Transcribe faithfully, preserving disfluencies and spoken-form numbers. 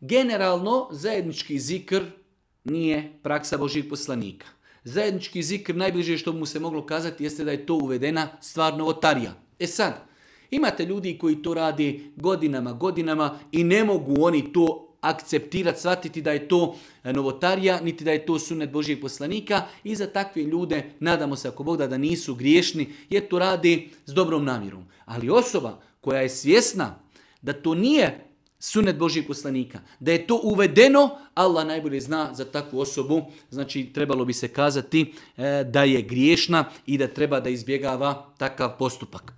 Generalno, zajednički zikr nije praksa Božjih poslanika. Zajednički zikr, najbliže što mu se moglo kazati, jeste da je to uvedena stvar novotarija. E sad, imate ljudi koji to radi godinama, godinama i ne mogu oni to akceptirati, shvatiti da je to novotarija, niti da je to sunnet Božjih poslanika i za takve ljude nadamo se ako Bog da, da nisu griješni jer to radi s dobrom namjerom. Ali osoba koja je svjesna da to nije sunnet Božjih poslanika, da je to uvedeno, Allah najbolje zna za takvu osobu, znači trebalo bi se kazati e, da je griješna i da treba da izbjegava takav postupak.